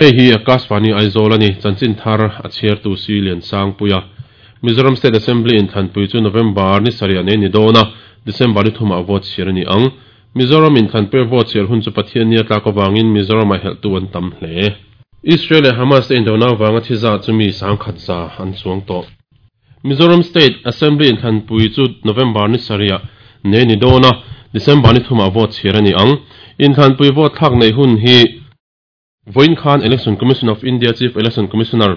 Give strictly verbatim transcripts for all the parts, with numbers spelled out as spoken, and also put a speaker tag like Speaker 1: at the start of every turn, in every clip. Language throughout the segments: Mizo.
Speaker 1: Hei hi Akashvani Aizawl ani chanchin thar a chhiartu si lian sang puia Mizoram State Assembly in thanpui chu November ni sarih nei ni dawna December ni thuma vote chhiar ani ang Mizoram in thanpui vote chhiar hun chu Pathian ni atlak awangin Mizoram a helh tu an tam hle Israel leh Hamas te indona awanga thi za chu mi sangkhat za an chuang tawh Mizoram State Assembly in thanpui chu November ni sarih nei ni dawna December ni thuma vote chhiar ani ang in thanpui vote thlak nei hun hi Voin Khan Election Commission of India Chief Election Commissioner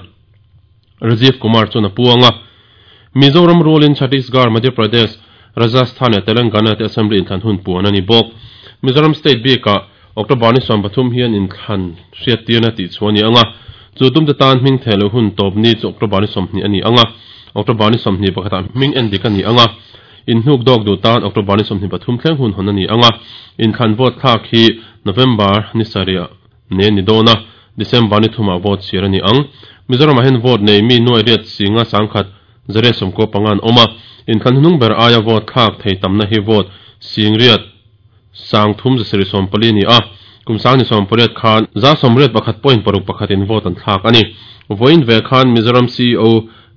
Speaker 1: Rajiv Kumar chuna puanga Mizoram ruling Chhattisgarh Madhya Pradesh Rajasthan leh Telangana te Assembly in thlan hun puan ani bawk Mizoram State bika October ni sawm pathum hian in thlan hriat tirna tih chu ani anga chu tum te tan hming thelo hun tawp ni chu October ni sawmhnih ani anga October ni sawmhnih pakhatah hming en dik ani anga in hnuk dawk du tan October ni sawmhnih pathum thleng hun hawn ani anga in thlan vote thlak hi November ni sarih ne ni dawna December ni thuma vote chhiar ani ang Mizoram ah hian vote nei mi nuai riat singa sangkhat zare sawmkaw pangan awma in thlan hnung ber aia vote thlak thei tamna hi vote sing riat sang thum zasarih sawm pali ni a kum sang ni sawm pariat khan za sawm riat pakhat point paruk pakhat in vote an thlak ani voin ve khan Mizoram C E O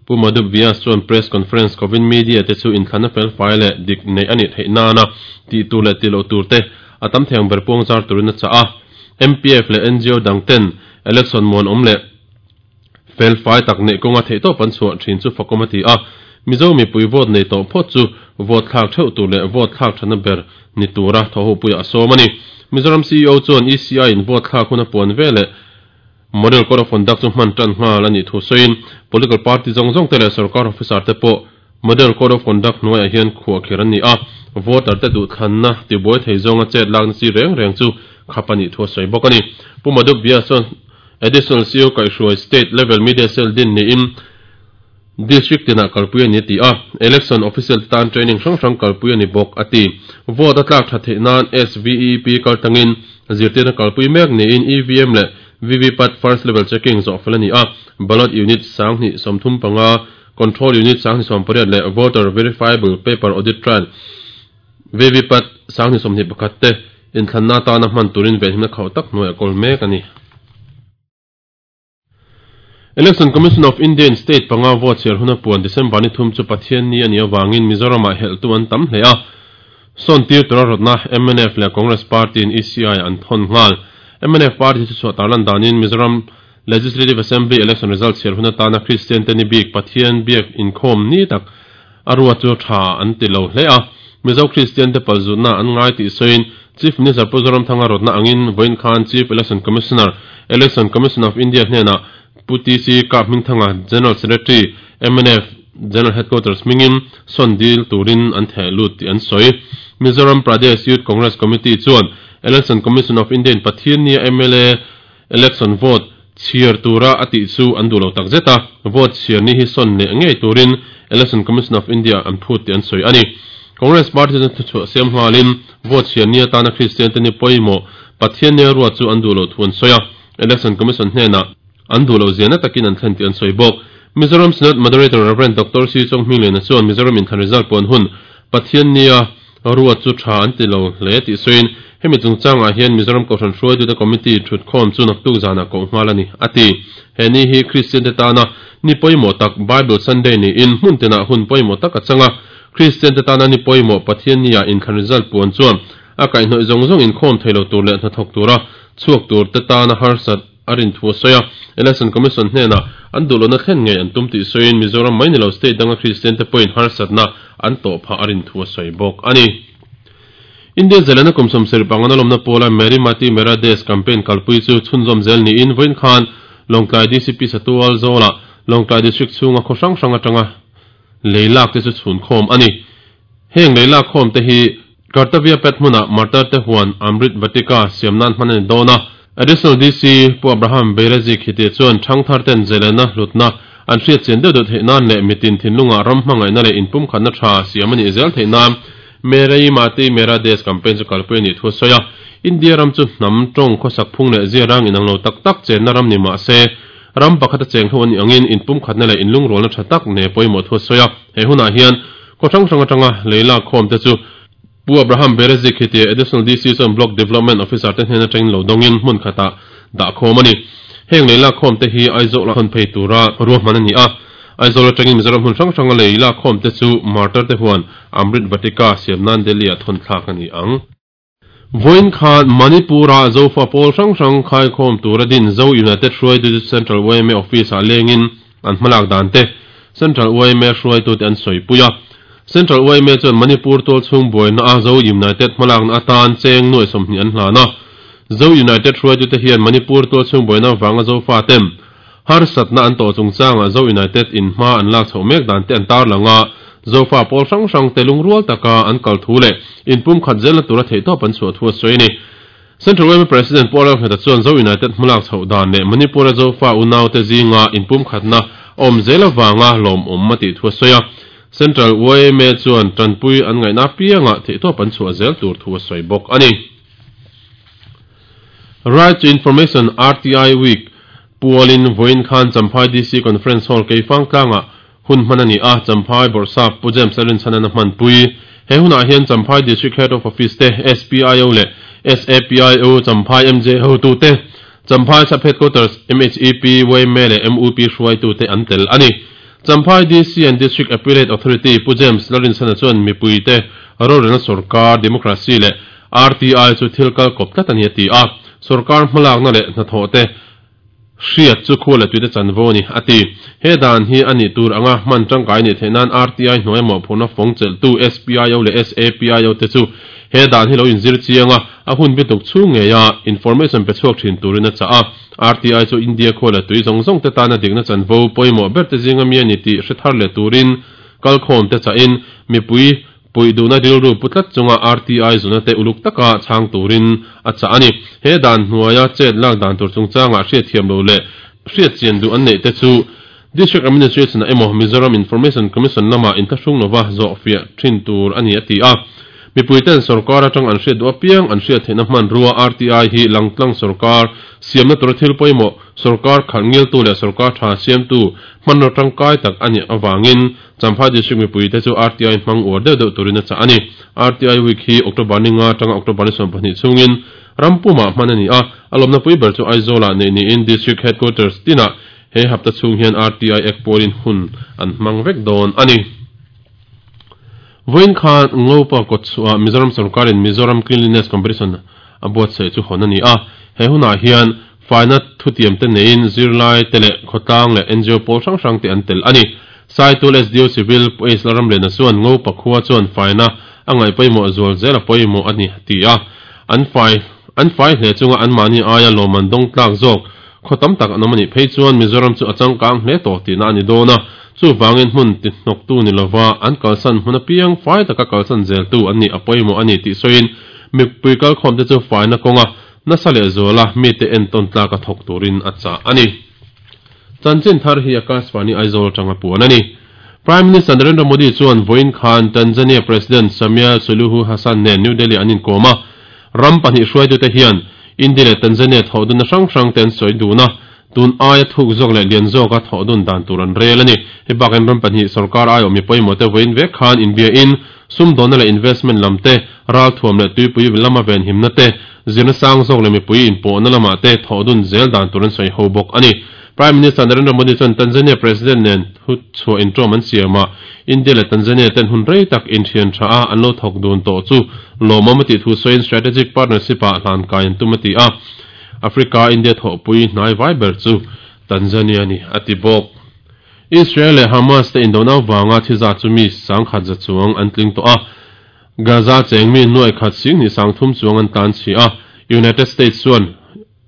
Speaker 1: Pu Madhup Vyas chuan press conference kovin media te chu in thlanna fel fai leh dik nei ani theih nana tih tur leh tih loh tur te a tam theng ber puang zar turin a chah a M P F leh N G O dang ten election muan awm leh fel fai tak nei kawnga theih tawp an chhuah thin chu fakawm a ti a Mizo mipui vote nei tawh phawt chu vote thlak theuh tur leh vote thlak thana ber ni tura thaw ho puia a sawm ani Mizoram C E O chuan E C I in vote thlak hun a puan ve leh Model Code of Conduct chu hman tan nghal ani thu sawiin political party zawng zawng te leh sarkar officer te pawh Model Code of Conduct hnuaiah hian khuah kher ani a voter te duh thlanna tibuai thei zawnga chet lakna chi reng reng chu khap ani thu a sawi bawk ani Pu Madhup Vyas chuan Additional C E O Kaihhruai State Level Media Cell din niin District tinah kalpui ani ti a Election Official tan training hrang hrang kalpui ani bawk ati vote a tlak tha theih nan S V E P kaltangin zirtirna kalpui mek niin E V M leh V V PAT first level checking zawh fel ani a ballot unit sanghnih sawmthum panga control unit sanghnih sawm pariat leh voter verifiable paper audit trail V V PAT sanghnih sawmhnih pakhat te in thlanna tana hman turin venhimna khauh tak hnuai a kawl mek ani Election Commission of India in State panga vote chhiar hun a puan December ni thum chu Pathian ni ani awangin Mizoram ah helh tu an tam hle a sawn tir tura rawtna M N F leh Congress Party in E C I an thawn nghal M N F Party chu chhuah tarlan danin Mizoram Legislative Assembly election result chhiar hun atana Christian te ni bik Pathian biak inkhawm ni tak a rua chu tha an ti lo hle a Mizo Christian te palzutna an ngai tih sawiin Chief Minister Pu Zoramthanga rawtna angin Voin Khan Chief Election Commissioner Election Commission of India hnenah Pu T C Kap Hmingthanga General Secretary M N F General Headquarters mingin sawn dil turin an theh lut tih an sawi Mizoram Pradesh Youth Congress Committee chuan Election Commission of India in Pathian nia M L A election vote chhiar tura a tih chu an duh lo tak zet a vote chhiar ni hi sawn leh ngei turin Election Commission of India an phut tih an sawi ani Congress Party chuan thuchhuah siam nghalin vote chhiar ni atana Christian te ni pawimawh Pathian nia ruat chu an duh lo thu an sawi a Election Commission hnenah an duh lo ziahna takin an thlen tih an sawi bawk Mizoram Senate Moderator Reverend Doctor C Chong Hminglena chuan Mizoram in thlan result puan hun Pathian nia ruat chu tha an ti lo hle tih sawiin hemi chungchangah hian Mizoram Kohhran hruaitute committee thut khawm chu naktuk zana koh nghal ani ati he ni hi Christian te tana ni pawimawh tak Bible Sunday ni in hmun tenah hun pawimawh tak a changa Christian te tana ni pawimawh Pathian nia in thlan result puan chuan a kaihhnawih zawng zawng in khawm theilo tur leh hnathawk tura chhuak tur te tana harsat a rin thu a sawi a Election Commission hnenah an duh lohna thlen ngei an tum tih sawiin Mizoram mai ni lo state danga Christian te pawhin harsatna an tawh phah a rin thu a sawi bawk ani India zelena kum sawmsarih pangana lawmna pawla Meri Mati Mera Desh campaign kalpui chu chhunzawm zel niin Voin Khan Lawngtlai D C P Satual Zawla Lawngtlai District chhunga khaw hrang hrang atanga leilak te chu chhun khawm ani heng leilak khawm te hi Kartavya Pet hmuna Martar te huan Amrit Vatika siamnan hman ani dawna Additional D C Pu Abraham Beirazi khiti chuan thangthar ten zelena hlutna an hriat chian deuh deuh theih nan leh mitin thinlunga ram hmangaihna leh inpum khatna tha siam ani zel theih nan Meri Mati Mera Desh campaign chu kalpui ani thu sawi a India ram chu hnam tawng khawsak phung leh ziarang inang lo tak tak chenna ram ni mah se ram pakhat a cheng ho ani angin inpum khatna leh inlung rawlna tha tak ne pawimawh thu sawi a he hunah hian khaw hrang hrang atanga leila khawm te chu Pu Abraham Berezik hiti Additional D C chuan Block Development Officer te hnena tangin lo dawngin hmun khatah dah khawm ani Heng leila khom te hi Aizawl a thon phei tura ruahman ani a. Aizawl atangin Mizoram hmun hrang hranga leila khom te chu Martar te huan Amrit Vatika siamnan Delhi a thon thlak ani ang. Voin khan Manipura Zofa Pawl hrang hrang khai khom tura din Zo United Hruaitu Central Y M A Office a lengin an hmalak dan te Central Y M A Hruaitu te an sawipuia. Central Y M A chuan Manipur tual chhung buaina a Zo United hmalak na atan cheng nuai sawmhnih an hlana. Zo United Hruaitu te hian Manipur tual chhung buaina wanga Zofa tem har satna an to chungchanga Zo United in hma an lak chho mek dan te an tar langa Zofa pawl hrang hrang te lungrual taka an kal thu le in pum khat zel na tura thei tawp an chhuah thu a sawi ni. Central Y M A President Paul Ramheta chuan Zo United hmalak chho dan leh Manipura Zofa unau te zinga in pum khatna awm zel awanga lawm awm a tih thu a sawi a. Central Y M A chuan tanpui an ngaihna pianga thei tawp an chhuah zel tur thu a sawi bawk ani. Right to Information R T I Week Pualin Voin Khan Champhai D C Conference Hall Keifang tlanga hun hmanani a Champhai Borsap Pu James Allen chanana hman pui he huna hian Champhai District Head of Office te S P I O le S A P I O Champhai M J ho tu te Champhai Sub Headquarters M H E P Y M A le M U P hruai tu te an tel ani. Champhai D C and District Appellate Authority Pu James Lalrin chana chuan mipui te rorelna sarkar democracy le R T I chu thilkal kop tlat ani ati a sarkar hmalak na le hnathawh te hriat chu khu le tuite chanvo ni ati he dan hi ani tur anga hman tangkai ni thenan R T I hnuai maw phuna fawng chelh tu S P I O le S A P I O te chu he dan hi lo inzir chianga a hun bituk chhung nge ya information pe chhuak thin turin a cha a R T I chu India khaw le tui zawng zawng te tana dikna chanvo pawimawh ber te zinga mi ani tih hre thar le turin kalkhawm te cha in mipui pui duhna rilru putlat chunga R T I zuna te uluk taka chang turin a cha ani. He dan hnuaia chet lak dan tur chungchanga hriat thiam lo le hriat chian duh an neih te chu District Administration emaw Mizoram Information Commission lama inthlahrung lova zawh fiah thin tur ani ati a. Mipui ten sarkar atang an hriat duh apiang an hriat theihna hman rua R T I hi langtlang sarkar siamna tur thil pawimawh sarkar khalh ngil tu leh sarkar tha siam tu hman ro tangkai tak ani awangin Champhai District mipui te chu R T I hmang uar deuh deuh turin a cha ani. R T I Week hi October ni nga atanga October ni sawm pahnih chungin rampuma hman ani a alawmna pui ber chu Aizawl ah nei niin District Headquarters tina he hapta chhung hian R T I Act pawlin hun an hmang vek dawn ani. Voin khan Ngopa kawtchhuah Mizoram sarkarin Mizoram Cleanliness Competition a buatsaih chu hawn ani a. He hunah hian faina thutiam te neiin zirlai te leh khawtlang leh N G O pawl hrang hrang te an tel ani. Saitul S D O Civil Police Laram lehna chuan Ngopa khua chuan faina a ngaih pawimawh zual zel a pawimawh ani ti a. An fai an fai hle chunga an mahni aia lawman dawng tlak zawk khaw tam tak an awm ani phei chuan Mizoram chu a changkang hle tawh tihna ani dawn a. Chu wangin hmun ti hnawk tu ni lova an kalsan hmun apiang fai taka kalsan zel tu an ni a pawimawh ani tih sawiin mipui kalkhawm te chu faina kawnga nasa leh zuala mi te entawn tlak a thawk turin a chah ani. Chanchin thar hi Akashvani Aizawl tanga puan ani. Prime Minister Narendra Modi chuan Voin Khan Tanzania President Samia Suluhu Hassan nen New Delhi an inkawm a. Ram pahnih hruaitu te hian India leh Tanzania thawh dun na hrang hrang te an sawi dun a. Tun aia thuk zawk leh lian zawk a thawh dun dan tur an rel ani. He bakin ram pahnih sarkar ai awm mi pawimawh te vawiin vek khan India in sumdawnna leh investment lam te ral thuam leh tuipui lama ven himna te zirna sang zawk leh mipui inpawhna lamah te thawh dun zel dan tur an sawi ho bawk ani. Prime Minister Narendra Modi chuan Tanzania President nen thu chhuah intawm an siam a. India leh Tanzania ten hun rei tak inthian tha a an lo thawk dun tawh chu lawmawm a tih thu sawiin strategic partnership ah hlan kai an tum a ti a. Africa India thawhpui hnai vai ber chu Tanzania ni a ti bawk. Israel leh Hamas te indona wanga thiza chu mi sangkhat za chuang an tling tawh a. Gaza cheng mi nuai khat sing ni sangthum chuang an tan chi a. United States chuan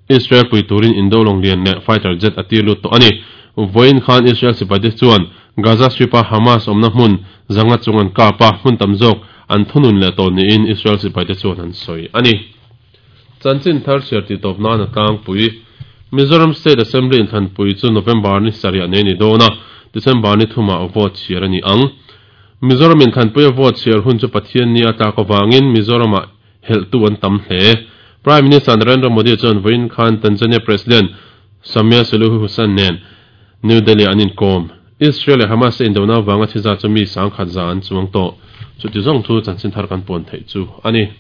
Speaker 1: Israel pui turin indo longlian leh fighter jet a tir lut tawh ani. Voin khan Israel sipai te chuan Gaza Strip a Hamas awmna hmun zanga chung an kap a hmun tam zawk an thunun leh tawh niin Israel sipai te chuan an sawi ani. Chanchin thar chhiar ti tawp nan a tlangpui Mizoram State Assembly inthlanpui chu November ni sarih nei ni dawn a December ni thumah vote chhiar ani ang. Mizoram inthlanpui a vote chhiar hun chu Pathian ni a tlak awangin Mizoramah helh tu an tam hle. Prime Minister Narendra Modi chuan Voin Khan Tanzania President Samia Suluhu Hassan nen New Delhi an inkawm. Israel leh Hamas indona wanga thiza chu mi sangkhat za an chuang tawh. Chuti zawng chu chanchin thar kan puan theih chu ani.